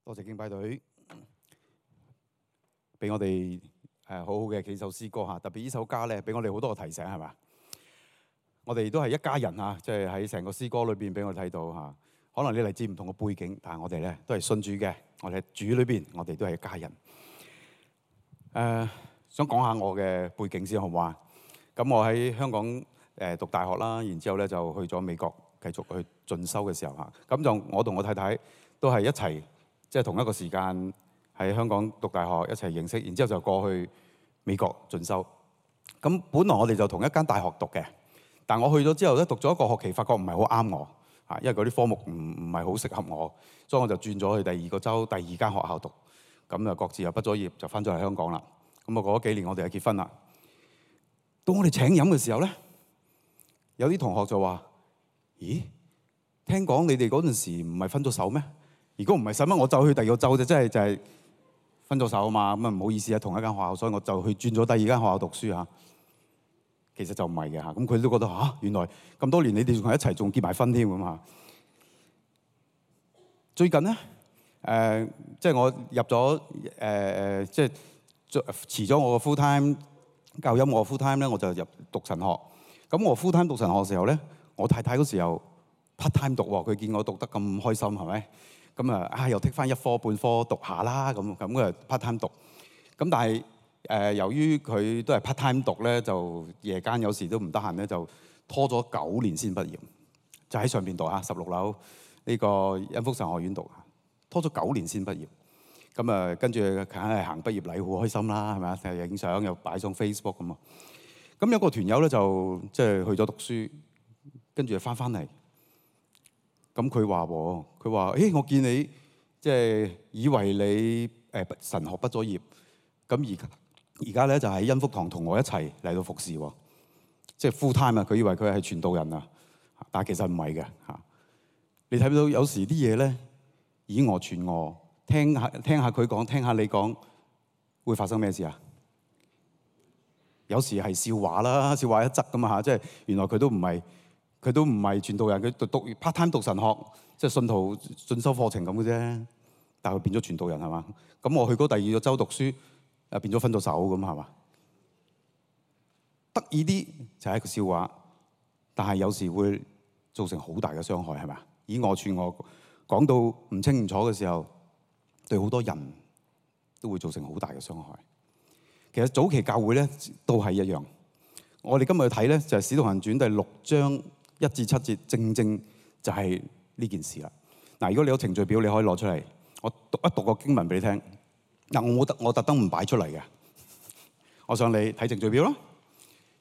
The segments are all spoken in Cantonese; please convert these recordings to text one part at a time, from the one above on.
多謝敬拜隊俾我哋好好嘅幾首詩歌嚇，特別呢首歌咧，俾我哋好多個提醒係嘛？我哋都係一家人嚇，即係喺成個詩歌裏邊俾我哋睇到嚇。可能你嚟自唔同嘅背景，但係我哋咧都係信主嘅，我哋喺主裏邊，我哋都係一家人。想講下我嘅背景先好唔好啊？咁我喺香港讀大學啦，然之後咧就去咗美國繼續去進修嘅時候嚇，咁就我同我太太都係一齊，即係同一個時間喺香港讀大學一齊認識，然之後就過去美國進修。咁本來我哋就同一間大學讀嘅，但我去咗之後咧，讀咗一個學期，發覺唔係好啱我嚇，因為嗰啲科目唔係好適合我，所以我就轉咗去第二個州第二間學校讀。咁就各自又畢咗業，就翻咗嚟香港啦。咁啊過咗幾年，我哋就結婚啦。到我哋請飲嘅時候咧，有啲同學就話：咦，聽講你哋嗰陣時唔係分咗手咩？如果唔係，使乜我走去第二個州啫？即係就係分咗手啊嘛。咁啊唔好意思啊，同一間學校，所以我就去轉咗第二間學校讀書嚇。其實就唔係嘅嚇。咁佢都覺得嚇，原來咁多年你哋仲係一齊，仲結埋婚添咁嚇。最近咧，即係我入咗即係辭咗我個 full time 教音樂 full time 咧，我就入讀神學。咁我 full time 讀神學嘅時候咧，我太太嗰時候 part time 讀喎，佢見我讀得咁開心係咪？咁啊又剔翻一科半科讀下啦，咁佢 part time 讀。咁但係由於佢都係 part time 讀咧，就夜間有時都唔得閒咧，就拖咗9年先畢業，就喺上邊讀嚇16樓呢個恩福神學院讀，拖咗9年先畢業。咁啊跟住梗係行畢業禮，好開心啦，係咪啊？又影相又擺上 Facebook 咁啊。咁有個團友咧就即係去咗讀書，跟住翻嚟。咁佢話：誒我見你即係以為你神學畢咗業，咁而家咧就喺恩福堂同我一齊嚟到服侍喎，即係 full time 啊！佢以為佢係傳道人啊，但係其實唔係嘅嚇。你睇到有時啲嘢咧以訛傳訛，聽下佢講，聽下你講，會發生咩事啊？有時係笑話啦，笑話一則㗎嘛嚇，即係原來佢都唔係傳道人，佢讀 part time 讀神學，即係信徒進修課程咁嘅啫。但係佢變咗傳道人係嘛？咁我去嗰第二個州讀書，變咗分咗手咁係嘛？得意啲就係一個笑話，但係有時會造成好大嘅傷害係嘛？以訛傳訛講到唔清唔楚嘅時候，對好多人都會造成好大嘅傷害。其實早期教會咧都係一樣。我哋今日去睇咧就係《使徒行傳》第6章1至7節，正就係呢件事啦。嗱，如果你有程序表，你可以攞出嚟，我讀一讀個經文俾你聽。嗱，我特登唔擺出嚟嘅，我想你睇程序表啦。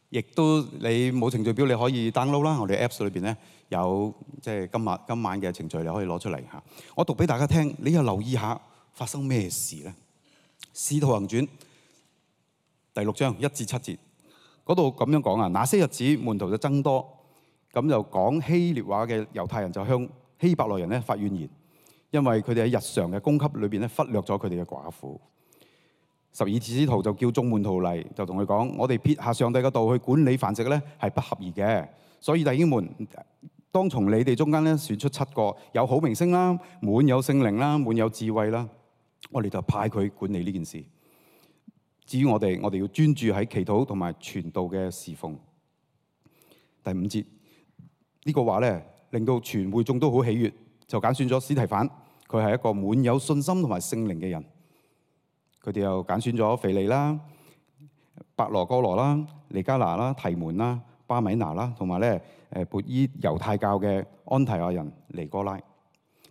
亦都你冇程序表，你可以 download 啦。我哋 Apps 裏邊咧有即係今晚嘅程序，你可以攞出嚟嚇。我讀俾大家聽，你又留意下發生咩事咧？《使徒行傳》第6章1至7節嗰度咁樣講啊。那些日子門徒就增多，咁就講希臘話嘅猶太人就向希伯來人咧發怨言，因為佢哋喺日常嘅供給裏邊咧忽略咗佢哋嘅寡婦。12使徒就叫眾門徒嚟，就同佢講：我哋撇下上帝嘅道去管理飯食咧，係不合宜嘅。所以弟兄們，當從你哋中間咧選出7個有好名聲啦、滿有聖靈啦、滿有智慧啦，我哋就派佢管理呢件事。至於我哋要專注喺祈禱同埋傳道嘅侍奉。第5節呢個話咧，令到全會眾都好喜悅，就揀選咗司提反，佢係一個滿有信心同埋聖靈嘅人。佢哋又揀選咗腓利啦、伯羅哥羅啦、尼加拿啦、提門啦、巴米拿啦，同埋咧撥依猶太教嘅安提亞人尼哥拉，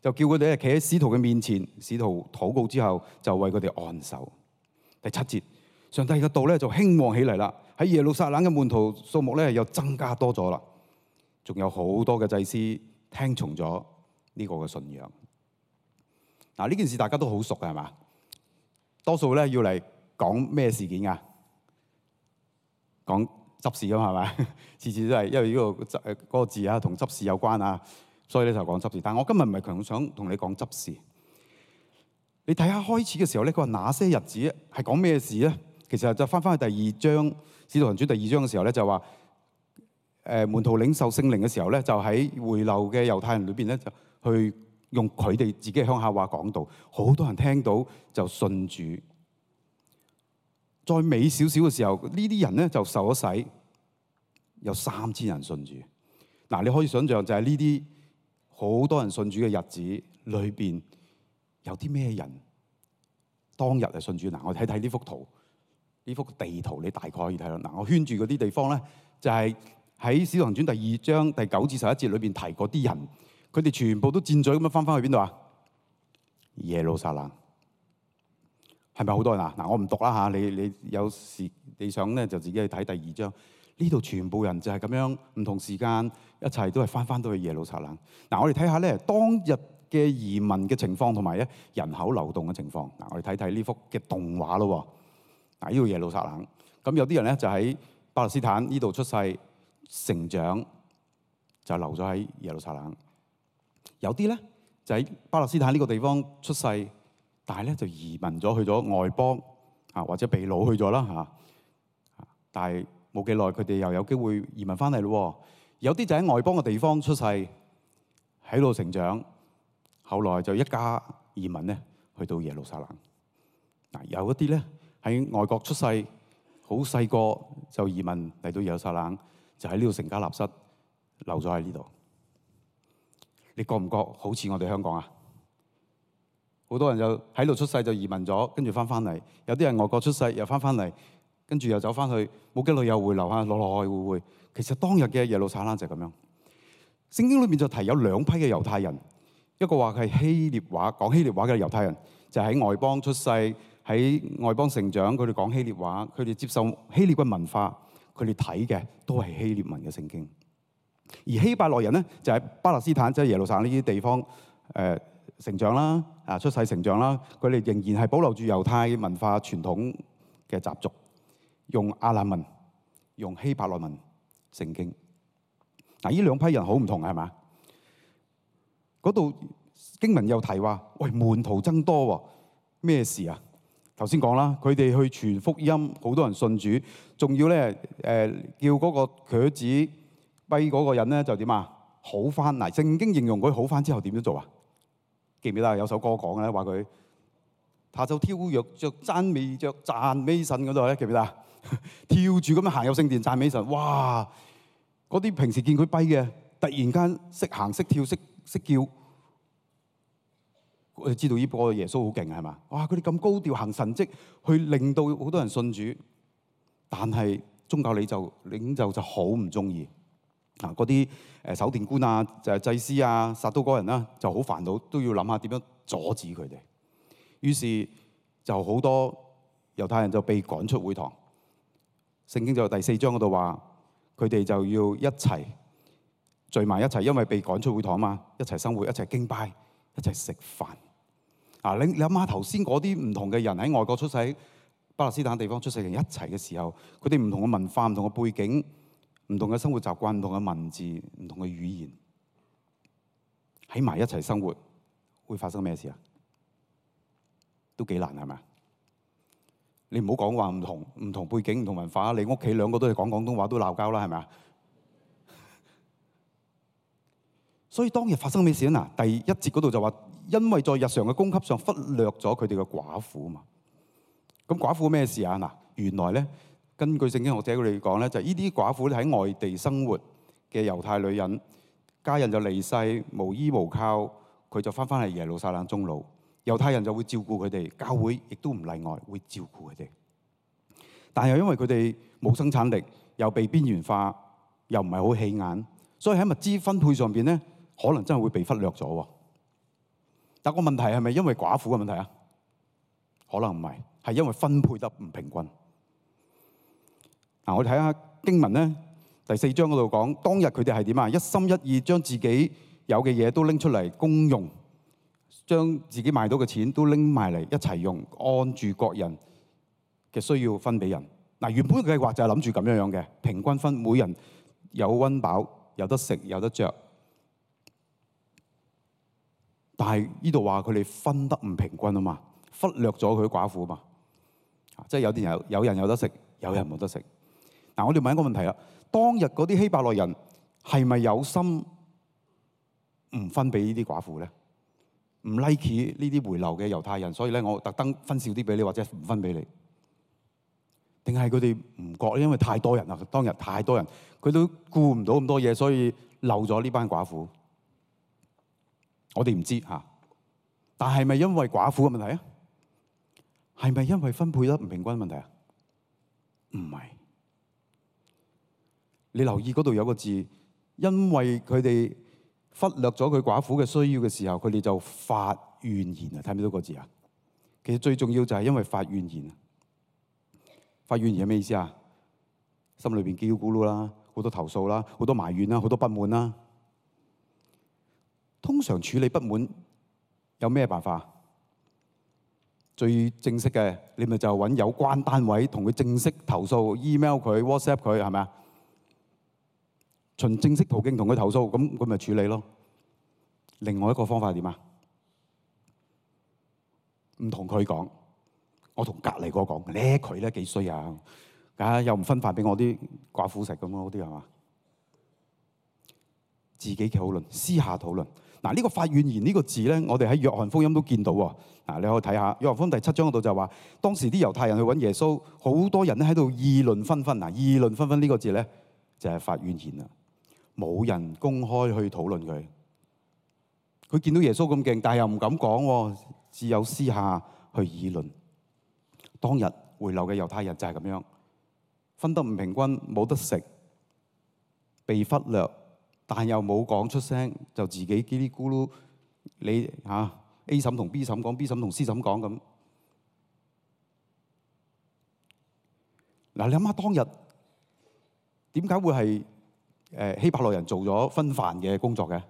就叫佢哋企喺使徒嘅面前，使徒禱告之後就為佢哋按手。第7節，上帝嘅道咧就興旺起嚟啦，喺耶路撒冷嘅門徒數目咧又增加多咗啦，仲有好多嘅祭司聽從咗呢個嘅信仰。嗱，呢件事大家都好熟嘅係嘛？多數咧要嚟講咩事件㗎？講執事㗎嘛係咪？次次都係因為呢嗰個字啊同執事有關啊，所以咧就講執事。但係我今日唔係強想同你講執事。你睇下開始嘅時候咧，佢話那些日子係講咩事咧？其實就翻去第2章《使徒行傳》第2章嘅時候咧，就話門徒領受聖靈嘅時候咧，就喺回流嘅猶太人裏邊咧就去用佢哋自己嘅鄉下話講道，好多人聽到就信主。再尾少少嘅時候，呢啲人咧就受咗洗，有3000人信主。嗱，你可以想象就係呢啲好多人信主嘅日子裏邊，有啲咩人當日係信主？嗱，我睇睇呢幅圖，呢幅地圖你大概可以睇到。嗱，我圈住嗰啲地方咧，就係喺《使徒行傳》第2章第9至11節裏邊提嗰啲人，佢哋全部都箭嘴咁樣翻去邊度啊？耶路撒冷。係咪好多人啊？嗱，我唔讀啦嚇，你有時你想咧就自己去睇第2章。呢度全部人就係咁樣唔同時間一齊都係翻到去耶路撒冷。嗱，我哋睇下咧當日嘅移民嘅情況同埋咧人口流動嘅情況。嗱，我哋睇睇呢幅嘅動畫咯。嗱，呢度耶路撒冷，咁有啲人咧就喺巴勒斯坦呢度出世成長，就留咗喺耶路撒冷。有啲咧就喺巴勒斯坦呢個地方出世，但係咧就移民咗去咗外邦啊，或者被擄去咗啦嚇。但係冇幾耐，佢哋又有機會移民翻嚟咯。有啲就喺外邦嘅地方出世，喺度成長，後來就一家移民咧去到耶路撒冷。嗱，有一啲咧喺外國出世，好細個就移民嚟到耶路撒冷，就喺呢度成家立室，留咗喺呢度。你覺唔覺好似我哋香港啊？好多人就喺度出世就移民咗，跟住翻嚟。有啲人外國出世又翻嚟，跟住又走翻去，冇幾耐又回流下，來回。其實當日嘅耶路撒冷就係咁樣。聖經裏面就提有2批嘅猶太人，一個話係希臘話講希臘話嘅猶太人，就喺外邦出世，喺外邦成長，佢哋講希臘話，佢哋接受希臘嘅文化，佢哋睇嘅都係希臘文嘅聖經。而希伯來人咧就喺巴勒斯坦，即係耶路撒冷呢啲地方成長啦，出世成長啦，佢哋仍然係保留住猶太文化傳統嘅習俗，用亞蘭文、用希伯來文聖經。嗱，呢2批人好唔同係嘛？嗰度經文又提話，喂，門徒增多喎，咩事啊？頭先講啦，佢哋去傳福音，好多人信主，仲要咧叫嗰個瘸子跛嗰個人咧就點啊？好翻。嗱，聖經形容佢好翻之後點樣做啊？記唔記得有首歌講嘅咧，話佢他就跳躍着讚美神嗰度咧，記唔記得啊？跳住咁樣行入聖殿讚美神，哇！嗰啲平時見佢跛嘅，突然間識行識跳識叫，我哋知道呢個耶穌好勁係嘛？哇！佢哋咁高調行神蹟，去令到好多人信主，但係宗教領袖就好唔中意。嗰啲守殿官啊，就係祭司啊，撒都該人啦，就好煩惱，都要諗下點樣阻止佢哋。於是就好多猶太人就被趕出會堂。聖經就第4章嗰度話，佢哋就要一齊聚埋一齊，因為被趕出會堂嘛，一齊生活，一齊敬拜，一齊食飯。你諗下頭先嗰啲唔同嘅人喺外國出世，喺巴勒斯坦地方出世人一齊嘅時候，佢哋唔同嘅文化、唔同嘅背景、唔同嘅生活習慣、唔同嘅文字、唔同嘅語言，喺埋一齊生活，會發生咩事啊？都幾難係咪？你唔好講話唔同背景、唔同文化，你屋企2個都係講廣東話都鬧交啦，係咪啊？所以當日發生咩事啊？第1節嗰度就話，因為在日常嘅供給上忽略咗佢哋嘅寡婦啊嘛。咁寡婦咩事啊？嗱，原來咧，根據聖經學者佢哋講咧，就係呢啲寡婦咧喺外地生活嘅猶太女人，家人就離世，無依無靠，佢就翻嚟耶路撒冷終老。猶太人就會照顧佢哋，教會亦都唔例外，會照顧佢哋。但係因為佢哋冇生產力，又被邊緣化，又唔係好起眼，所以喺物資分配上邊咧，可能真係會被忽略咗。但個問題係咪因為寡婦嘅問題啊？可能唔係，係因為分配得唔平均。我哋睇下經文咧，第4章嗰度講，當日佢哋係點啊？一心一意將自己有嘅嘢都拎出嚟公用，將自己賣到嘅錢都拎埋嚟一齊用，按住各人嘅需要分俾人。原本嘅計劃就係諗住咁樣嘅，平均分，每人有溫飽，有得食，有得着。但係呢度話佢哋分得唔平均啊嘛，忽略咗佢寡婦啊嘛，即係有人有得食，有人冇得食。我哋問一個問題啦，當日嗰啲希伯來人係咪有心唔分俾呢啲寡婦咧？唔 like 呢啲回流嘅猶太人，所以咧我特登分少啲俾你，或者唔分俾你。定係佢哋唔覺，因為太多人啦，當日太多人，佢都顧唔到咁多嘢，所以漏咗呢班寡婦。我哋唔知嚇，但係咪因為寡婦嘅問題啊？係咪因為分配得唔平均嘅問題啊？唔係。你留意嗰度有個字，因為佢哋忽略咗佢寡婦嘅需要嘅時候，佢哋就發怨言啊！睇唔睇到個字啊？其實最重要就係因為發怨言。發怨言係咩意思啊？心裏邊嘰哩咕嚕啦，好多投訴啦，好多埋怨啦，好多不滿啦。通常處理不滿有咩辦法？最正式嘅，你咪就揾有關單位同佢正式投訴 ，email 佢 ，WhatsApp 佢，係咪啊？循正式途徑同佢投訴，咁佢咪處理咯。另外一個方法係點啊？唔同佢講。我同隔離個講，咧佢咧幾衰啊！又唔分飯俾我啲寡婦食咁咯，嗰啲係嘛？自己討論，私下討論。嗱，呢個發怨言呢個字咧，我哋喺約翰福音都見到喎。嗱，你可以睇下約翰福音第7章嗰度就話，當時啲猶太人去揾耶穌，好多人咧喺度議論紛紛。嗱，議論紛紛呢個字咧就係發怨言啦。冇人公開去討論佢。佢見到耶穌咁勁，但係又唔敢講，只有私下去議論。當日回流嘅猶太人就係咁樣，分得唔平均，冇得食，被忽略，但又冇講出聲，就自己嘰哩咕嚕，你A 嬸同 B 嬸講，B 嬸同 C 嬸講咁。嗱，你諗下當日點解會係希伯來人做咗分飯嘅工作嘅？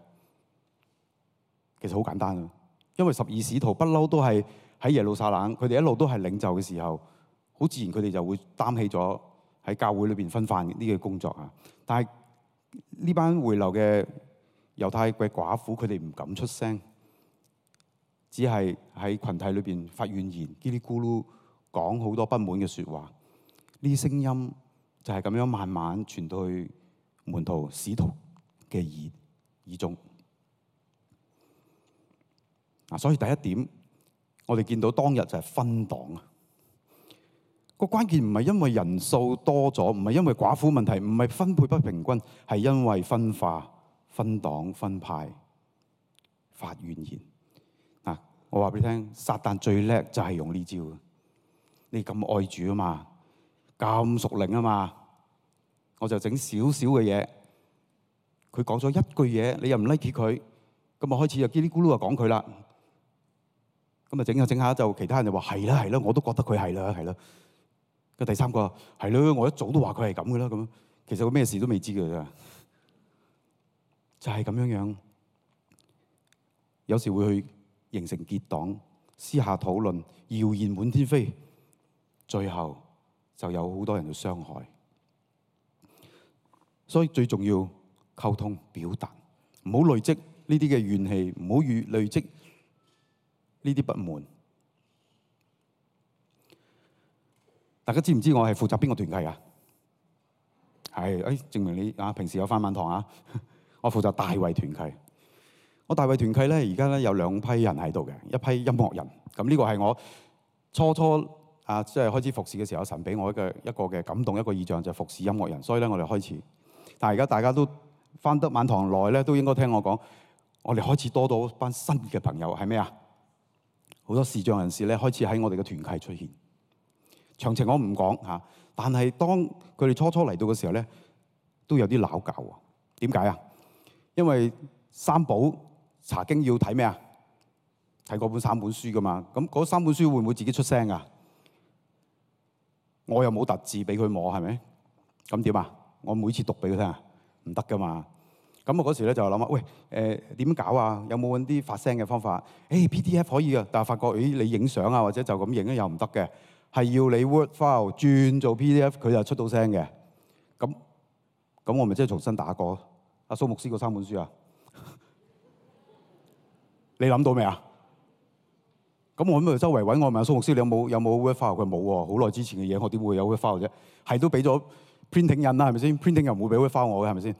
其實好簡單啊，因為12使徒不嬲都係喺耶路撒冷，佢哋一路都係領袖嘅時候，好自然佢哋就會擔起咗喺教會裏邊分飯呢個工作啊。但係呢班回流嘅猶太嘅寡婦，佢哋唔敢出聲，只係喺群體裏邊發怨言，嘰哩咕嚕講好多不滿嘅説話。呢啲聲音就係咁樣慢慢傳到去門徒使徒嘅耳中。所以第一點，我哋見到當日就係分黨啊！個關鍵唔係因為人數多咗，唔係因為寡婦問題，唔係分配不平均，係因為分化、分黨、分派、發怨言。我話俾你聽，撒旦最叻就係用呢招。你咁愛主啊嘛，咁屬靈啊嘛，我就整少少嘅嘢，佢講咗一句嘢，你又唔 like 佢，咁啊開始就嘰哩咕嚕就講佢啦。咁啊整下整下就其他人就話係啦係啦，我都覺得佢係啦係啦。個第三個係咯，我一早都話佢係咁嘅啦咁。其實佢咩事都未知嘅啫，就係咁樣樣。有時會去形成結黨，私下討論，謠言滿天飛，最後就有好多人去傷害。所以最重要溝通表達，唔好累積呢啲嘅怨氣，唔好累積呢啲不滿。大家知唔知我係負責邊個團契啊？係，證明你平時有返晚堂啊。我負責大衛團契。我大衛團契咧，而家咧有2批人喺度嘅，一批音樂人。咁呢個係我初即係開始服侍嘅時候，神俾我一個嘅感動，一個異象就係服侍音樂人。所以咧，我哋開始。但係而家大家都返得晚堂耐咧，都應該聽我講，我哋開始多到班新嘅朋友係咩啊？好多視障人士咧開始喺我哋嘅團契出現。詳情我唔講嚇，但係當佢哋初嚟到嘅時候咧，都有啲拗撬喎。點解啊？因為三寶查經要睇咩啊？睇嗰本3本書噶嘛。咁嗰3本書會唔會自己出聲啊？我又冇特字俾佢摸，係咪？咁點啊？我每次讀俾佢聽啊，唔得噶嘛。咁我嗰時咧就諗啊，喂點搞啊？有冇揾啲發聲嘅方法？PDF 可以啊，但係發覺你影相啊或者就咁影咧又唔得嘅。係要你 Word file 轉做 PDF，佢就出到聲嘅。咁我咪即係重新打過阿蘇牧師嗰3本書啊？你諗到未啊？咁我咁咪周圍揾我問阿蘇牧師，你有冇 Word file？佢冇喎，好耐之前嘅嘢，我點會有 Word file 啫？係都俾咗 printing 印啦，係咪先？printing 又唔會俾 Word file 我嘅，係咪先？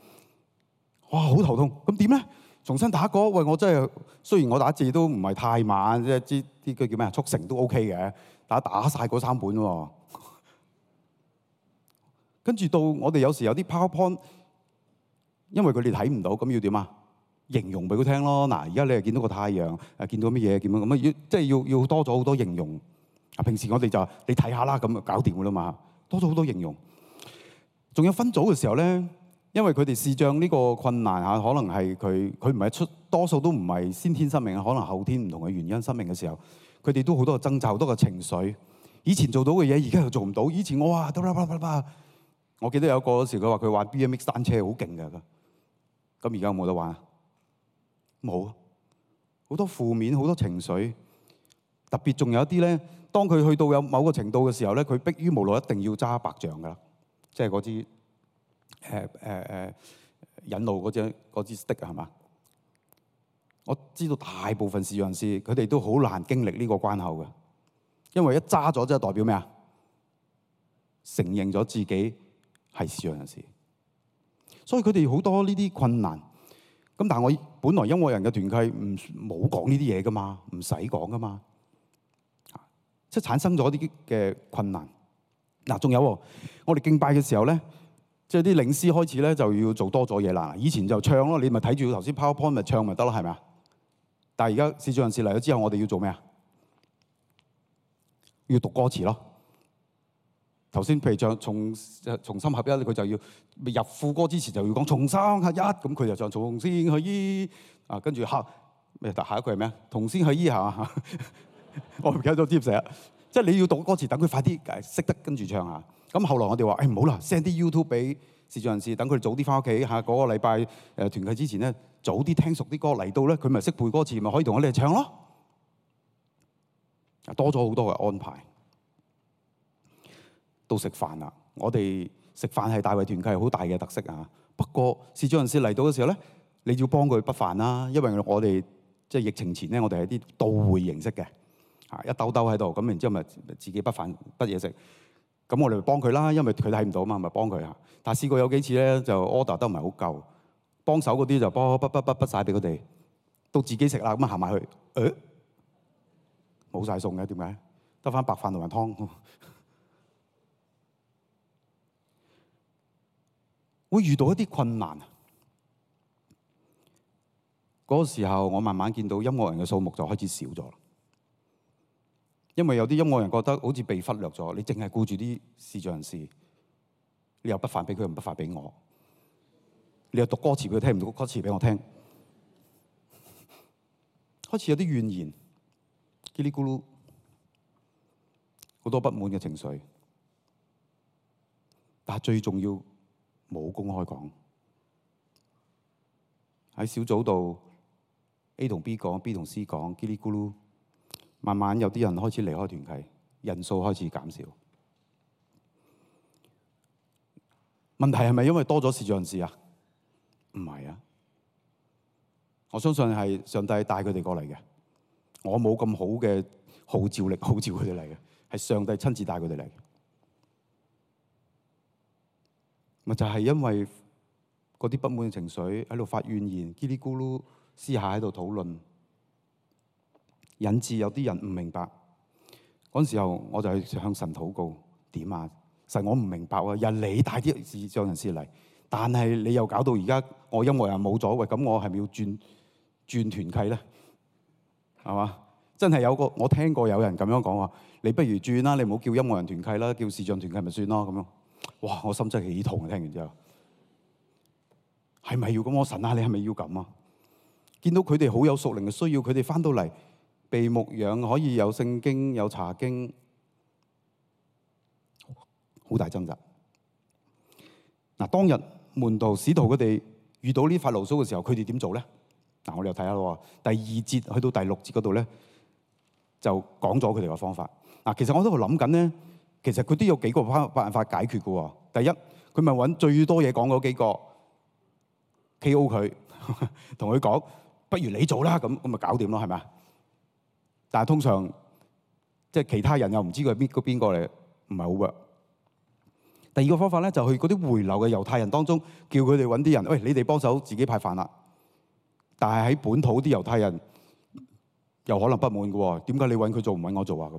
哇，好頭痛。咁點咧？重新打過。喂，我真係雖然我打字都唔係太慢，即係啲句叫咩啊，速成都 OK 嘅，但係打晒嗰3本喎。跟住到我哋有時有啲 PowerPoint，因為佢哋睇唔到，咁要點啊？形容俾佢聽咯。嗱，而家你係見到個太陽，見到乜嘢，見到咁啊，即係要多咗好多形容。平時我哋就你睇下啦，咁就搞掂噶啦嘛。多咗好多形容。仲有分組嘅時候咧，因為佢哋視障呢個困難嚇，可能係佢唔係多數都唔係先天失明，可能後天唔同嘅原因失明嘅時候，佢哋都好多嘅掙扎，好多嘅情緒。以前做到嘅嘢，而家又做唔到。以前我話我記得有個嗰時佢話佢玩 BMX 單車好勁㗎，咁而家有冇得玩啊？冇，好多負面，好多情緒。特別仲有一啲咧，當佢去到有某個程度嘅時候咧，佢迫於無奈一定要揸白杖㗎啦，即係嗰支引路嗰支 stick 啊，係嘛？我知道大部分視障人士佢哋都好難經歷呢個關口嘅，因為一揸咗即係代表咩啊？承認咗自己係視障人士，所以佢哋好多呢啲困難。咁但係我本來音樂人嘅團契冇講呢啲嘢噶嘛，唔使講噶嘛，即係產生咗啲嘅困難。嗱，仲有我哋敬拜嘅時候咧，即係啲領詩開始咧就要做多咗嘢啦。以前就唱咯，你咪睇住頭先 PowerPoint 咪唱咪得咯，係咪啊？但係而家視障人士嚟咗之後，我哋要做咩啊？要讀歌詞咯。頭先譬如唱重心合一，佢就要入副歌之前就要講重心合一，咁佢就唱重心合一啊，跟住下一句係咩啊？同心合一係嘛？我唔記得咗接寫，即係你要讀歌詞，等佢快啲識得跟住唱下。咁後來我哋話唔好啦 ，send 啲 YouTube 俾視障人士，等佢哋早啲翻屋企嚇。嗰個禮拜團契之前咧，早啲聽熟啲歌嚟到咧，佢咪識背歌詞，咪可以同我哋唱咯。多咗好多嘅安排。到食飯啦，我哋食飯係大衛團契好大嘅特色啊。不過視障人士嚟到嘅時候咧，你要幫佢不飯啦，因為我哋即係疫情前咧，我哋係啲到會形式嘅，一兜兜喺度，咁然之後咪自己不飯不嘢食。咁我哋咪幫佢啦，因為佢睇唔到嘛，咪幫佢嚇。但係試過有幾次咧，就 order 得唔係好夠，幫手嗰啲就不曬俾佢哋，到自己食啦，咁啊行埋去，冇晒餸嘅，點解？得翻白飯同埋湯。會遇到一啲困難，嗰個時候我慢慢見到音樂人嘅數目就開始少咗，因為有啲音樂人覺得好似被忽略咗，你淨係顧住啲視障人士，你又不飯俾佢，又唔不飯俾我，你又讀歌詞俾佢聽，唔讀歌詞俾我聽，開始有啲怨言，嘰哩咕嚕，好多不滿嘅情緒，但係最重要，冇公開講，喺小組度 A 同 B 講 ，B 同 C 講，嘰哩咕嚕，慢慢有啲人開始離開團契，人數開始減少。問題係咪因為多咗視障人士啊？唔係啊，我相信係上帝帶佢哋過嚟嘅。我冇咁好嘅號召力，號召佢哋嚟嘅，係上帝親自帶佢哋嚟。咪就係因為嗰啲不滿嘅情緒喺度發怨言，嘰哩咕嚕私下喺度討論，引致有啲人唔明白。嗰陣時候我就去向神禱告，點啊？神，我唔明白啊！又你帶啲視障人士嚟，但係你又搞到而家我音樂人冇咗，喂，咁我係咪要轉團契咧？係嘛？真係有個我聽過有人咁樣講話，你不如轉啦，你唔好叫音樂人團契啦，叫視障團契咪算咯咁樣。哇！我心真係起痛啊！聽完之後，係咪要咁？我神啊，你係咪要咁啊？見到佢哋好有屬靈嘅需要，佢哋翻到嚟被牧養，可以有聖經、有查經，好大掙扎。嗱，當日門徒使徒佢哋遇到呢塊牢騷嘅時候，佢哋點做咧？嗱，我哋又睇下咯。第2節去到第6節嗰度咧，就講咗佢哋嘅方法。嗱，其實我都喺度諗緊咧。其實佢都有幾個辦法解決嘅喎。第一，佢咪揾最多嘢講嗰幾個 KO 佢，同佢講，不如你做啦，咁咪搞掂咯，係咪啊？但係通常即係其他人又唔知佢係邊個嚟，唔係好 work。第二個方法咧，就去嗰啲回流嘅猶太人當中，叫佢哋揾啲人，喂，你哋幫手自己派飯啦。但係喺本土啲猶太人又可能不滿嘅喎，點解你揾佢做唔揾我做啊？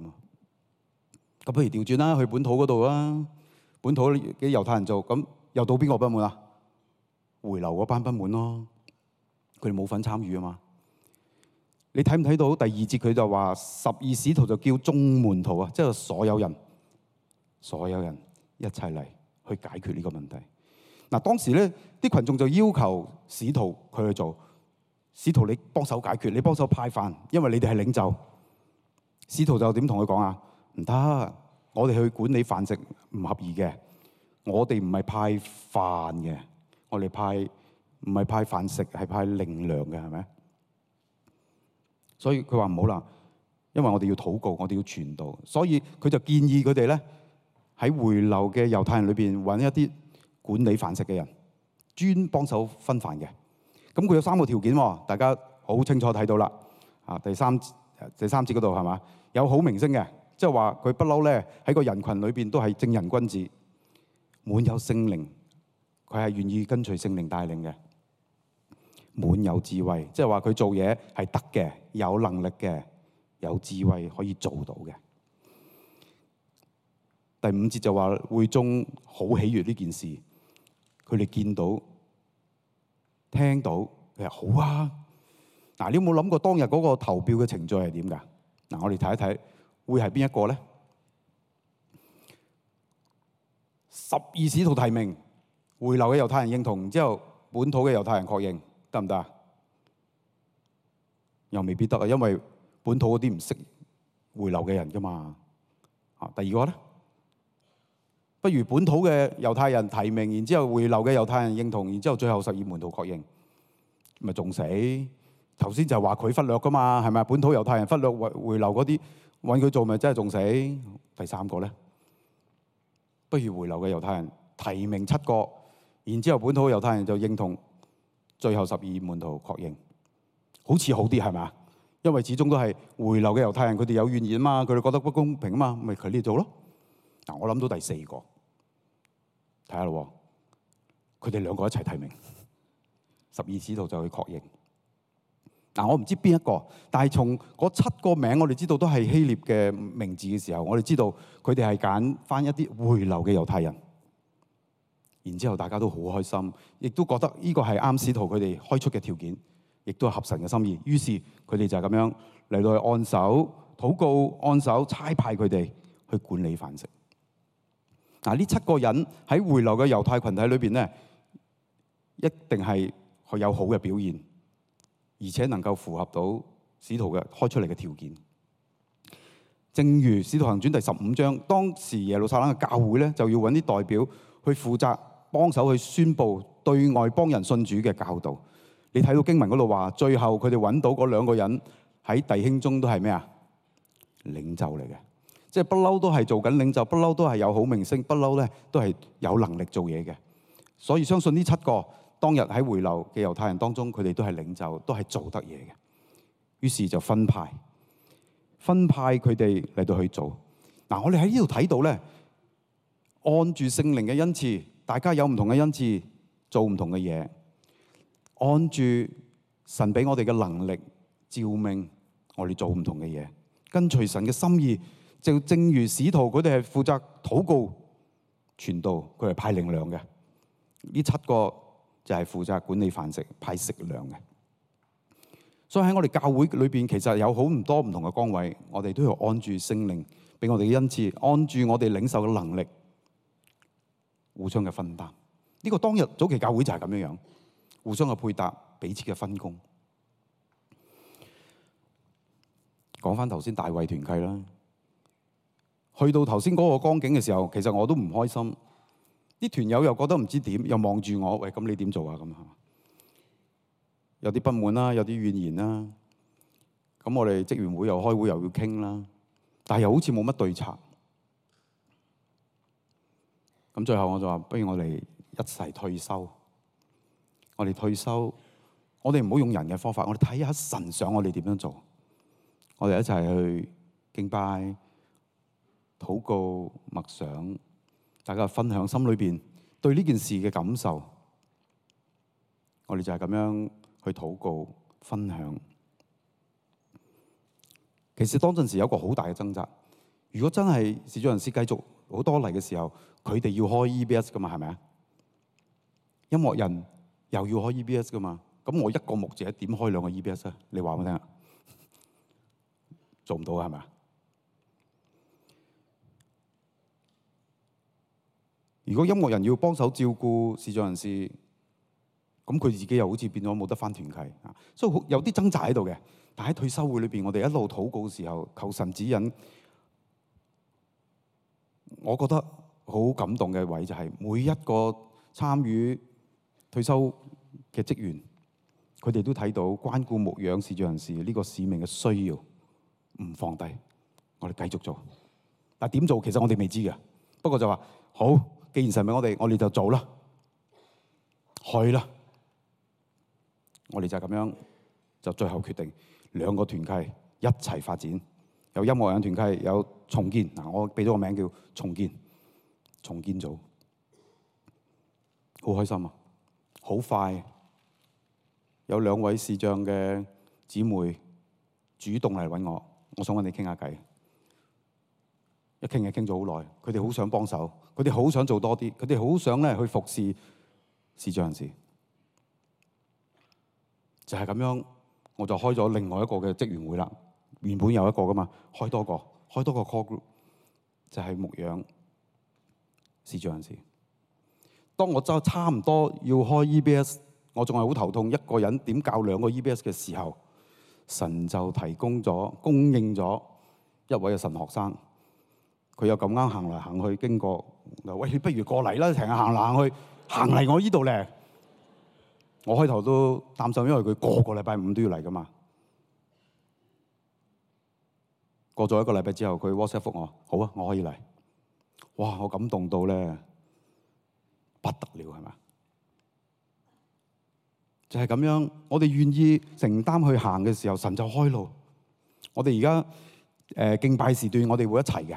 咁不如調轉啦，去本土嗰度啊，本土嘅猶太人做，咁又到邊個不滿啊？回流嗰班不滿咯，佢哋冇份參與啊嘛。你睇唔睇到第2節佢就話12使徒就叫眾門徒啊，即係所有人一齊嚟去解決呢個問題。嗱，當時咧啲群眾就要求使徒佢去做，使徒你幫手解決，你幫手派飯，因為你哋係領袖。使徒就點同佢講啊？唔得，我哋去管理飯食唔合宜嘅，我哋唔係派飯嘅，我哋唔係派飯食，係派靈糧嘅，係咪？所以佢話唔好啦，因為我哋要禱告，我哋要傳道，所以佢就建議佢哋咧喺回流嘅猶太人裏邊揾一啲管理飯食嘅人，專幫手分飯嘅。咁佢有3個條件喎，大家好清楚睇到啦。啊，第三節嗰度係嘛？有好名聲嘅，即係話佢不嬲咧喺個人群裏邊都係正人君子，滿有聖靈，佢係願意跟隨聖靈帶領嘅。滿有智慧，即係話佢做嘢係得嘅，有能力嘅，有智慧可以做到嘅。第5節就話會眾好喜悅呢件事，佢哋見到、聽到，佢話好啊。嗱，你有冇諗過當日嗰個投票嘅程序係點㗎？嗱，我哋睇一睇，會係邊一個咧？12使徒提名，回流嘅猶太人認同，然之後本土嘅猶太人確認。得唔得啊？又未必得啊，因為本土嗰啲唔識回流嘅人噶嘛。第2個咧，不如本土嘅猶太人提名，然之後回流嘅猶太人認同，然之後最後12門徒確認，咪仲死？頭先就係話佢忽略噶嘛，係咪？本土猶太人忽略回流嗰啲，揾佢做咪真係仲死？第3個咧，不如回流嘅猶太人提名7個，然之後本土猶太人就認同。最後12門徒確認，好似好啲係咪？因為始終都係回流嘅猶太人，佢哋有怨言啊嘛，佢哋覺得不公平啊嘛，咪佢呢做咯。嗱，我諗到第4個，睇下咯，佢哋2個一齊提名，12使徒就去確認。嗱，我唔知邊一個，但係從嗰7個名，我哋知道都係希臘嘅名字嘅時候，我哋知道佢哋係揀翻一啲回流嘅猶太人。然之後大家都好開心，亦都覺得呢個係啱使徒佢哋開出嘅條件，亦都係合神嘅心意。於是佢哋就係咁樣嚟到去按手禱告，按手差派佢哋去管理飯食。嗱，呢7個人喺回流嘅猶太群體裏邊咧，一定係有好嘅表現，而且能夠符合到使徒嘅開出嚟嘅條件。正如使徒行傳第15章，當時耶路撒冷嘅教會咧就要揾啲代表去負責。幫手去宣佈對外邦人信主嘅教導。你睇到經文嗰度話，最後佢哋揾到嗰2個人喺弟兄中都係咩啊？領袖嚟嘅，即係不嬲都係做緊領袖，不嬲都係有好名聲，不嬲咧都係有能力做嘢嘅。所以相信呢7個當日喺回流嘅猶太人當中，佢哋都係領袖，都係做得嘢嘅。於是就分派佢哋嚟到去做。嗱，我哋喺呢度睇到咧，按住聖靈嘅恩賜。大家有唔同嘅恩賜，做唔同嘅嘢，按住神俾我哋嘅能力召命，我哋做唔同嘅嘢，跟隨神嘅心意。就正如使徒佢哋係負責禱告、傳道，佢係派靈糧嘅。呢7個就係負責管理飯食、派食糧嘅。所以喺我哋教會裏邊，其實有好多唔同嘅崗位，我哋都要按住聖靈俾我哋嘅恩賜，按住我哋領受嘅能力。互相嘅分擔，呢個當日早期教會就係咁樣樣，互相嘅配搭，彼此嘅分工。講翻頭先大衛團契啦，去到頭先嗰個光景嘅時候，其實我都唔開心，啲團友又覺得唔知點，又望住我，喂，咁你點做啊？咁有啲不滿啦，有啲怨言啦。咁我哋職員會又開會又要傾啦，但係又好似冇乜對策。咁最後我就話，不如我哋一齊退休。我哋退休，我哋唔好用人嘅方法，我哋睇下神想我哋點樣做。我哋一齊去敬拜、禱告、默想，大家分享心裏邊對呢件事嘅感受。我哋就係咁樣去禱告，分享。其實當陣時有一個好大嘅掙扎。如果真係視障人士繼續好多嚟嘅時候，佢哋要開 EBS 噶嘛，係咪啊？音樂人又要開 EBS 噶嘛？咁我一個牧者點開兩個 EBS 啊？你話我聽啊？做唔到係咪啊？如果音樂人要幫手照顧視障人士，咁佢自己又好似變咗冇得返團契啊！所以有啲掙扎喺度嘅。但喺退修會裏邊，我哋一路禱告嘅時候，求神指引。我覺得好感動嘅位就係每一個參與退休嘅職員，佢哋都睇到關顧牧養視障人士呢個使命嘅需要，唔放低，我哋繼續做。但點做其實我哋未知嘅，不過就話好，既然神俾我哋就做啦，去啦。我哋就係咁樣，就最後決定兩個團契一齊發展。有音樂人團契，有重建嗱，我俾咗個名叫重建組，好開心啊！好快有兩位視障嘅姊妹主動嚟揾我想揾你傾下偈。一傾就傾咗好耐，佢哋好想幫手，佢哋好想做多啲，佢哋好想咧去服侍視障人士。就係咁樣，我就開咗另外一個嘅職員會啦。原本有一個噶嘛，開多個 call group， 就係牧養視障人士。當我就差唔多要開 EBS， 我仲係好頭痛，一個人點教兩個 EBS 嘅時候，神就供應咗一位嘅神學生。佢又咁啱行嚟行去經過，喂，你不如過嚟啦，成日行嚟行去，行嚟我呢度咧。我開頭都擔心，因為佢個禮拜五都要嚟噶嘛。過咗一個禮拜之後，佢 WhatsApp 覆我，好啊，我可以嚟。哇！我感動到咧不得了，係咪？就係咁樣，我哋願意承擔去行嘅時候，神就開路。我哋而家敬拜時段，我哋會一齊嘅。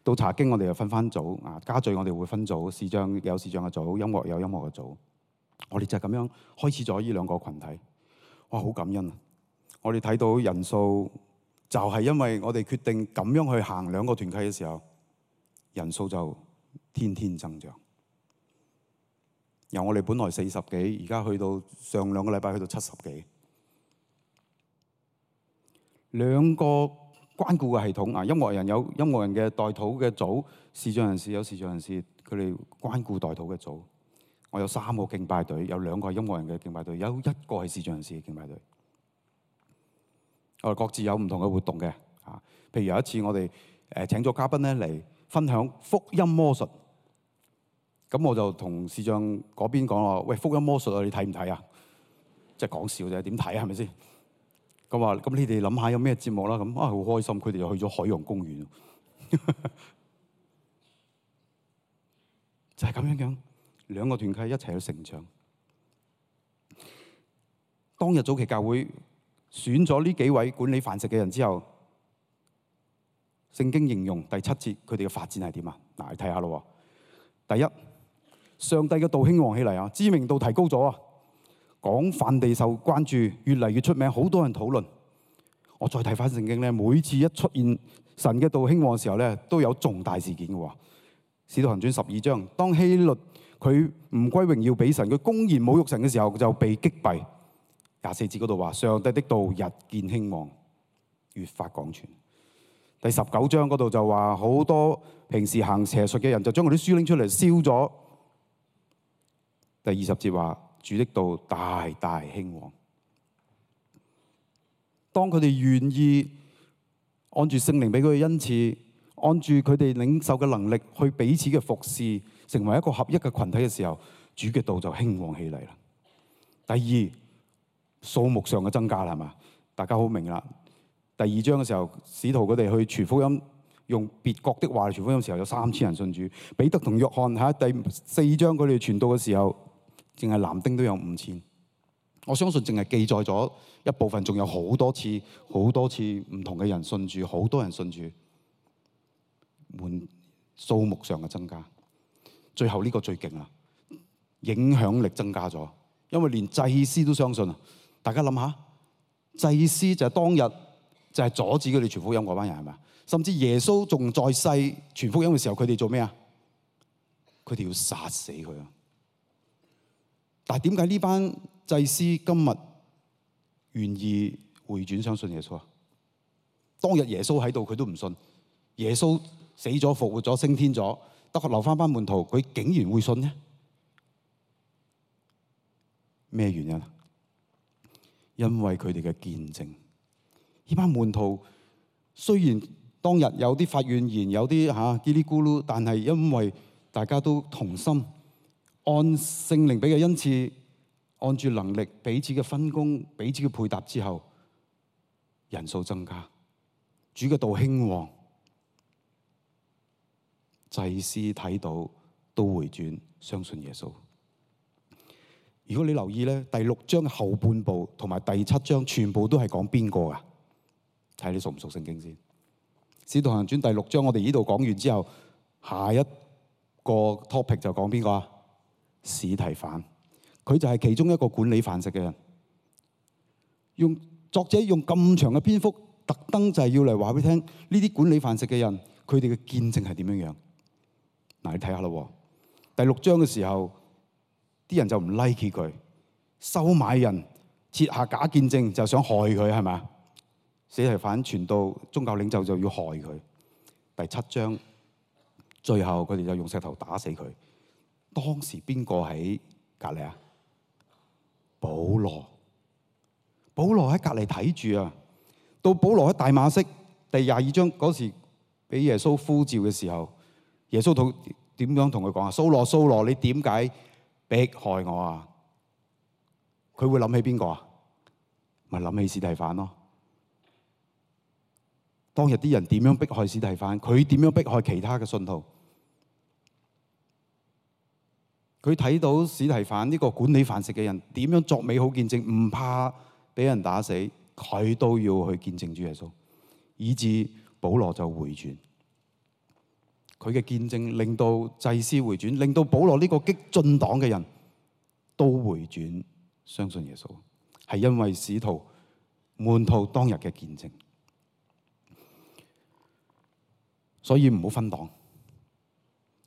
到查經，我哋又分組啊。家聚我哋會分組，視障有視障嘅組，音樂有音樂嘅組。我哋就係咁樣開始咗呢兩個群體。哇！好感恩啊！我哋睇到人數。就係因為我哋決定咁樣去行兩個團契嘅時候，人數就天天增長。由我哋本來40幾，而家去到上兩個禮拜去到70幾。兩個關顧嘅系統啊，音樂人有音樂人嘅代禱嘅組，視障人士有視障人士佢哋關顧代禱嘅組。我有3個敬拜隊，有2個係音樂人嘅敬拜隊，有1個係視障人士嘅敬拜隊。我哋各自有唔同嘅活動嘅，譬如有一次我哋請咗嘉賓咧嚟分享福音魔術，咁我就同視障嗰邊講話：喂，福音魔術啊，你睇唔睇啊？即係講笑啫，點睇啊？係咪先？咁話咁你哋諗下有咩節目啦？咁好開心，佢哋就去咗海洋公園，就係咁樣兩個團契一齊去成長。當日早期教會選咗呢幾位管理飯食嘅人之後，聖經形容第7節佢哋嘅發展係點啊？嗱，你睇下咯。第一，上帝嘅道興旺起嚟啊，知名度提高咗啊，廣泛地受關注，越嚟越出名，好多人討論。我再睇翻聖經咧，每次一出現神嘅道興旺嘅時候咧，都有重大事件嘅喎。使徒行傳12章，當希律佢唔歸榮耀俾神，佢公然侮辱神嘅時候，就被擊斃。24節嗰度話：上帝的道日漸興旺，越發廣傳。第19章嗰度就話好多平時行邪術嘅人就將嗰啲書拎出嚟燒咗。第20節話主的道大大興旺。當佢哋願意按住聖靈俾佢嘅恩賜，按住佢哋領受嘅能力去彼此嘅服侍，成為一個合一嘅群體嘅時候，主嘅道就興旺起嚟啦。第二，數目上嘅增加啦，係嘛？大家好明啦。第2章嘅時候，使徒佢哋去傳福音，用別國的話嚟傳福音嘅時候，有3000人信主。彼得同約翰喺第4章佢哋傳道嘅時候，淨係男丁都有5000。我相信淨係記載咗一部分，仲有好多次唔同嘅人信主，好多人信主，數目上嘅增加。最後呢個最勁啦，影響力增加咗，因為連祭司都相信啊！大家諗下，祭司就係當日就係阻止佢哋傳福音嗰班人，係咪？甚至耶穌仲在世傳福音嘅時候，佢哋做咩啊？佢哋要殺死佢啊！但係點解呢班祭司今日願意回轉相信耶穌啊？當日耶穌喺度，佢都唔信。耶穌死咗、復活咗、升天咗，得留翻班門徒，佢竟然會信呢？咩原因啊？因為佢哋嘅見證。呢班門徒雖然當日有啲發怨言，有啲嘰哩咕嚕，但係因為大家都同心，按聖靈俾嘅恩賜，按住能力彼此嘅分工、彼此嘅配搭之後，人數增加，主嘅道興旺，祭司睇到都回轉相信耶穌。如果你留意咧，第6章嘅後半部同埋第7章全部都係講邊個噶？睇你熟唔熟聖經先。使徒行傳第6章我哋呢度講完之後，下一個 topic 就講邊個啊？司提反，佢就係其中一個管理飯食嘅人。作者用咁長嘅篇幅，特登就係要嚟話俾你聽，呢啲管理飯食嘅人，佢哋嘅見證係點樣樣？嗱，你睇下咯。第6章嘅時候，啲人就唔 like 佢，收買人，設下假見證，就想害佢，係咪？司提反傳到宗教領袖就要害佢。第7章最後佢哋就用石頭打死佢。當時邊個喺隔離啊？保羅。保羅喺隔離睇住啊。到保羅喺大馬色第22章嗰時俾耶穌呼召嘅時候，耶穌點樣同佢講啊？掃羅，掃羅，你點解迫害我啊？佢會諗起邊個啊？咪諗起司提反咯。當日啲人點樣迫害司提反，佢點樣迫害其他嘅信徒？佢睇到司提反呢個管理飯食嘅人點樣作美好見證，唔怕俾人打死，佢都要去見證主耶穌，以致保羅就回轉。佢嘅見證令到祭司回轉，令到保羅呢個激進黨嘅人都回轉相信耶穌，係因為使徒門徒當日嘅見證。所以唔好分黨，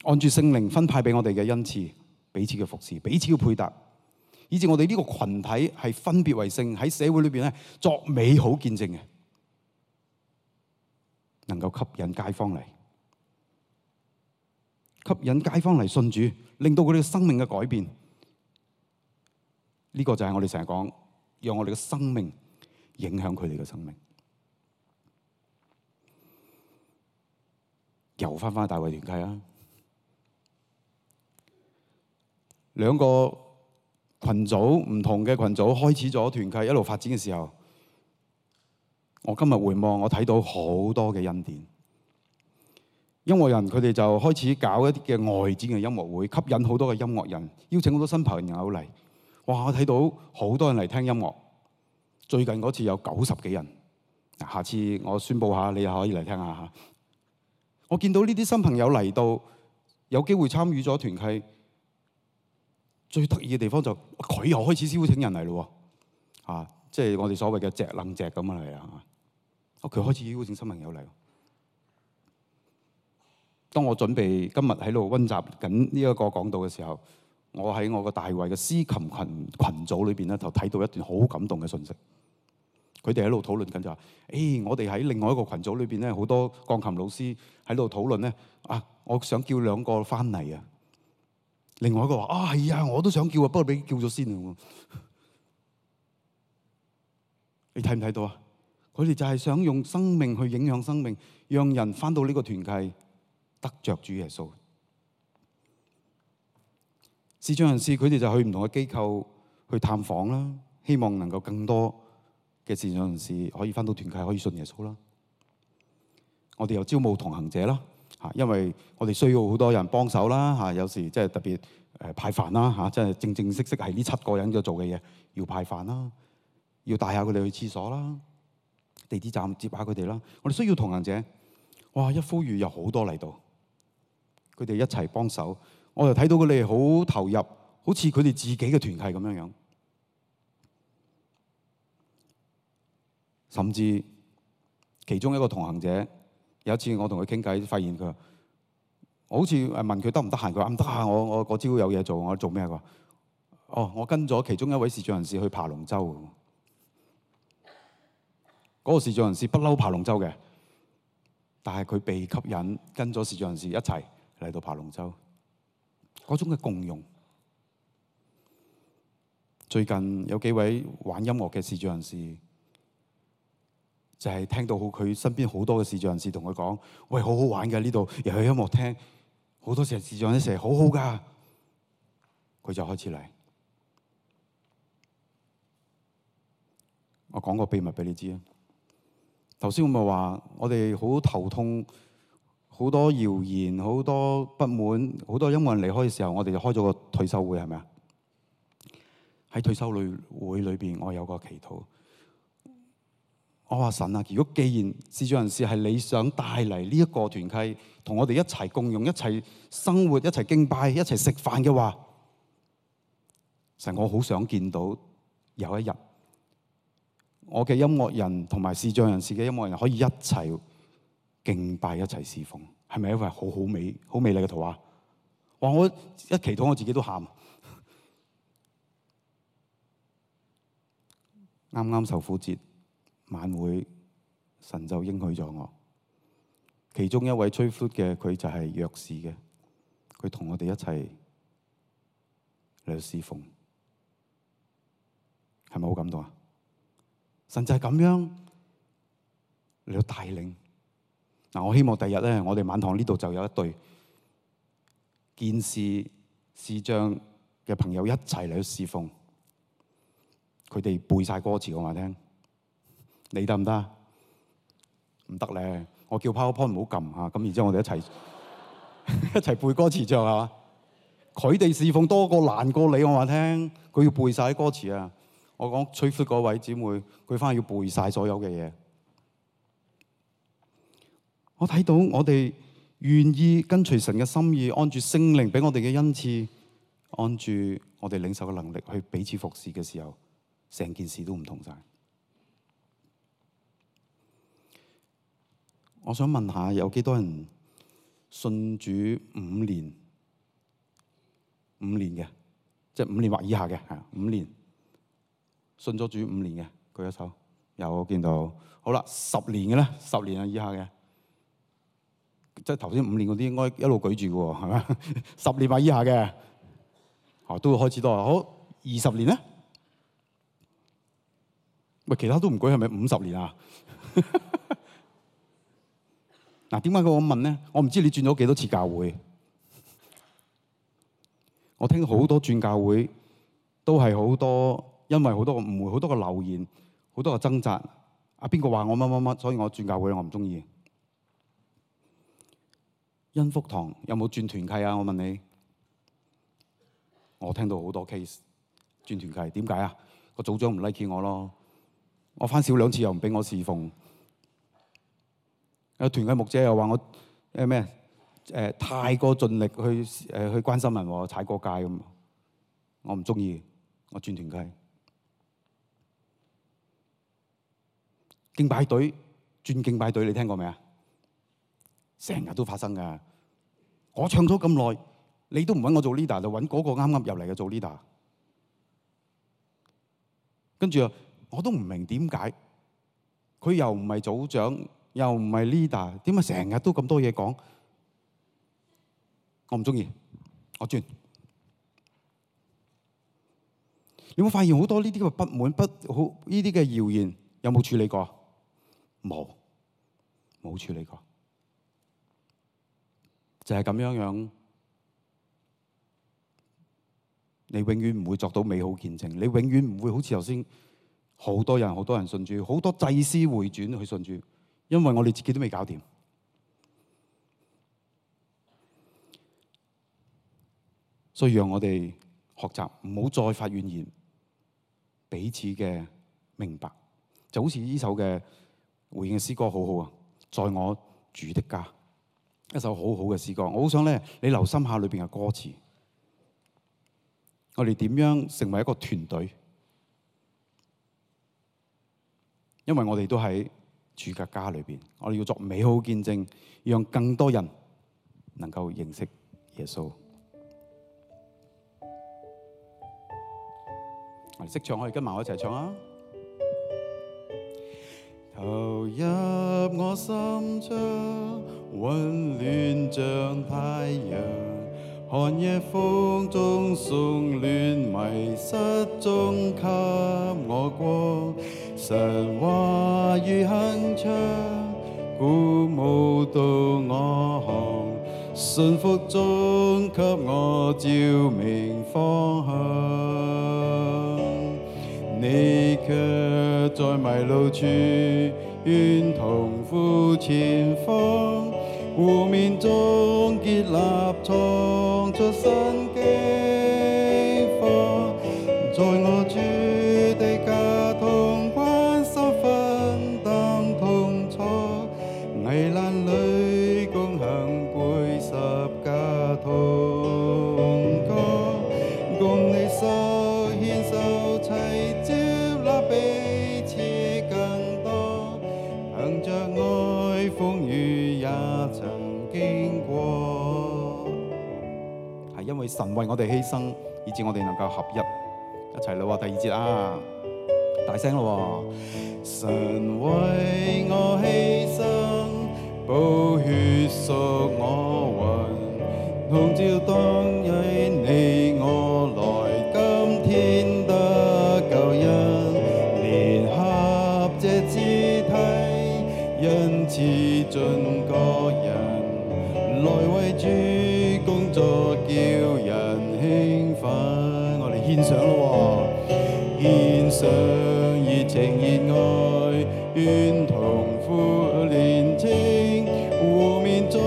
按住聖靈分派俾我哋嘅恩賜，彼此嘅服侍，彼此嘅配搭，以致我哋呢個群體係分別為聖，喺社會裏邊咧作美好見證嘅，能夠吸引街坊嚟，吸引街坊嚟信主，令到佢哋嘅生命嘅改變。呢個就係我哋成日講，讓我哋嘅生命影響佢哋嘅生命。又翻大衛團契啊！兩個群組唔同嘅群組開始咗團契，一路發展嘅時候，我今日回望，我睇到好多嘅恩典。音樂人佢哋就開始搞一啲嘅外展嘅音樂會，吸引好多嘅音樂人，邀請好多新朋友嚟。哇！我睇到好多人嚟聽音樂。最近嗰次有90幾人，下次我宣佈下，你又可以嚟聽下嚇。我見到呢啲新朋友嚟到，有機會參與咗團契，最得意嘅地方就佢又開始邀請人嚟咯喎，即係我哋所謂嘅隻楞隻咁嚟啊！佢開始邀請新朋友嚟。當我準備今日喺度溫習緊呢一個講道嘅時候，我喺我個大衛嘅司琴群組裏邊咧，就睇到一段好感動嘅信息。佢哋喺度討論緊就話：我哋喺另外一個群組裏邊咧，好多鋼琴老師喺度討論咧。我想叫2個翻嚟啊！另外一個話：係啊，我都想叫啊，不過俾叫咗先啊！你睇唔睇到啊？佢哋就係想用生命去影響生命，讓人翻到呢個團契得着主耶穌。視障人士佢哋就去唔同嘅機構去探訪啦，希望能夠更多嘅視障人士可以翻到團契，可以信耶穌啦。我哋又招募同行者啦，因為我哋需要好多人幫手啦，有時即係特別派飯啦，即係正正式式係呢7個人要做嘅嘢，要派飯啦，要帶下佢哋去廁所啦，地鐵站接下佢哋啦。我哋需要同行者，哇！一呼籲有好多嚟到，佢哋一齊幫手，我就睇到佢哋好投入，好似佢哋自己嘅團契咁樣樣。甚至其中一個同行者有一次我同佢傾偈，發現佢話我好似問佢得唔得閒，佢話唔得閒，我嗰朝有嘢做，我做咩？佢話哦，我跟咗其中一位視障人士去爬龍舟。嗰個視障人士不嬲爬龍舟嘅，但係佢被吸引跟咗視障人士一齊嚟到爬龍舟，嗰種嘅共融。最近有幾位玩音樂嘅視障人士，就係聽到佢身邊好多嘅視障人士同佢講：喂，好好玩嘅呢度，又有音樂聽，好多時視障人士好好㗎。佢就開始嚟。我講個秘密俾你知啊！頭先我咪話，我哋好頭痛，好多謠言，好多不滿，好多因為人離開嘅時候，我哋就開咗個退休會，係咪啊？喺退休會裏邊，我有個祈禱。我話神啊，如果既然視障人士係你想帶嚟呢一個團契，同我哋一齊共用、一齊生活、一齊敬拜、一齊食飯嘅話，神，我好想見到有一日，我嘅音樂人同埋視障人士嘅音樂人可以一齊敬拜、一齊侍奉，係咪一幅好美麗嘅圖畫？哇！我一祈禱我自己都喊。啱啱受苦節晚會，神就應許咗我。其中一位吹 flute 嘅，佢就係弱視嘅，佢同我哋一齊嚟侍奉，係咪好感動啊？神就係咁樣嚟到帶領。嗱，我希望第日咧，我哋晚堂呢度就有一隊見視視障嘅朋友一齊嚟到侍奉。佢哋背晒歌詞，我話聽，你得唔得？唔得咧，我叫 PowerPoint 唔好撳嚇，咁然之後我哋一齊一齊背歌詞唱嚇。佢哋侍奉多過難過你，我話聽，佢要背晒啲歌詞啊！我講吹 flute 嗰位姊妹，佢翻去要背晒所有嘅嘢。我睇到我哋願意跟隨神嘅心意，按住聖靈俾我哋嘅恩賜，按住我哋領受嘅能力去彼此服侍嘅時候，成件事都唔同晒。我想問下，有幾多人信主5年嘅，即係5年或以下嘅，係5年信咗主5年嘅，舉一手。有，我見到。好啦，10年嘅咧，10年以下嘅，即係頭先5年嗰啲應該一路舉住嘅喎，係咪？10年或以下嘅，都會開始多。好，20年咧？喂，其他都唔舉，係咪50年啊？嗱，點解佢咁問咧？我唔知你轉咗幾多次教會。我聽好多轉教會都係好多，因為好多個誤會、好多個流言、好多個掙扎。邊個話我乜乜乜，所以我轉教會，我唔中意。恩福堂有冇轉團契啊？我問你，我聽到好多 case 轉團契，點解啊？個組長唔 like 我咯。我翻少2次又唔俾我侍奉，有團契牧者又話我太過盡力去關心人，踩過界咁，我唔中意，我轉團契。敬拜隊轉敬拜隊，你聽過未啊？成日都發生噶。我唱咗咁耐，你都唔揾我做 leader，就揾嗰個啱啱入嚟嘅做 leader。跟住我都唔明點解，佢又唔係組長，又唔係 leader，點解成日都咁多嘢講？我唔中意，我轉。你有冇發現好多呢啲嘅不滿、呢啲嘅謠言，有冇處理過？冇處理過，就係咁樣。你永遠唔會作到美好見證，你永遠唔會好似頭先好多人信主，好多祭司回轉去信主，因為我哋自己都未搞掂。所以讓我哋學習，唔好再發怨言，彼此嘅明白，就好似呢首嘅回應嘅詩歌好好啊！在我主的家，一首好好嘅詩歌。我好想咧，你留心下裏邊嘅歌詞。我哋點樣成為一個團隊？因為我哋都喺主嘅家裏邊，我哋要作美好見證，讓更多人能夠認識耶穌。我哋識唱，可以跟埋我一齊唱啊！投入我心窗，溫暖像太陽，寒夜風中送暖，迷失中給我光。神話語鏗鏘，鼓舞到我行，信服中給我照明方向。你卻在迷路處，願同赴前方，湖面中結立，創出新境況。在我主的家同關心分擔痛楚，危難裏共行背十架同歌，共你手牽手齊接納彼此更多，憑着愛風雨也曾經過。係因為神為我哋犧牲，以致我哋能夠合一。一齊咯喎，第二節啊，大聲咯喎！神為我犧牲，寶血贖我魂，同照當日你我來，今天得救恩，聯合這肢體，因此盡各人，來為主工作，叫人興奮。我哋獻上咯喎，獻上熱情熱愛，願同負連稱，湖面中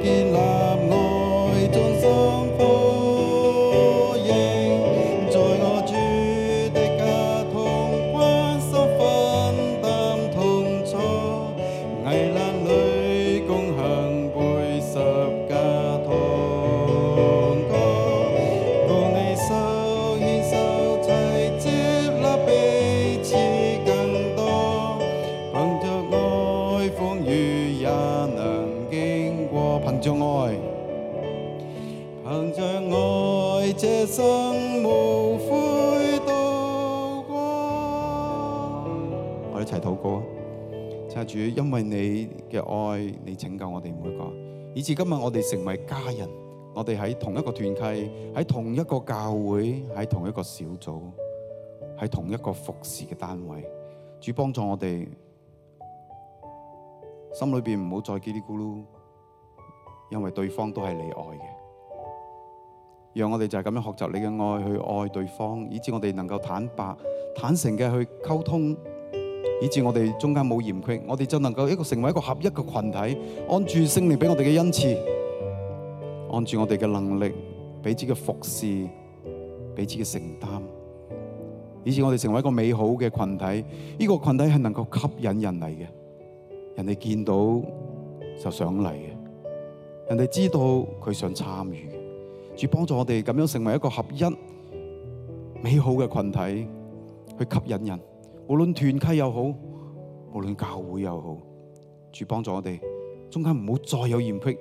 建立愛，眾心呼應，在我主的家同關心分擔痛楚，危難裏共行背十架同歌，共你手牽手齊接納彼此更多，憑着愛風雨也能經過，憑着愛，憑着愛這生無悔度過。我哋一齊禱告啊！親愛的主，因為你嘅愛，你拯救我哋每個，以至今日我哋成為家人，我哋喺同一個團契，喺同一個教會，喺同一個小組，喺同一個服侍嘅單位。主幫助我哋心裏邊唔好再嘰哩咕嚕，因為對方都係你愛嘅。讓我哋就係咁樣學習你嘅愛，去愛對方，以致我哋能夠坦白、坦誠嘅去溝通，以致我哋中間冇嫌隙，我哋就能夠成為一個合一嘅群體，按住聖靈俾我哋嘅恩賜，按住我哋嘅能力，彼此嘅服侍，彼此嘅承擔，以致我哋成為一個美好嘅群體。呢個群體係能夠吸引人嚟嘅，人哋見到就想嚟嘅，人哋知道佢想參與嘅。主幫助我哋咁樣成為一個合一美好嘅群體，去吸引人，無論團契又好，無論教會又好。主幫助我哋中間唔好再有嫌隙，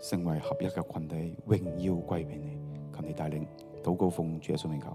成為合一嘅群體，榮耀歸俾你。求你帶領禱告奉主耶穌名求。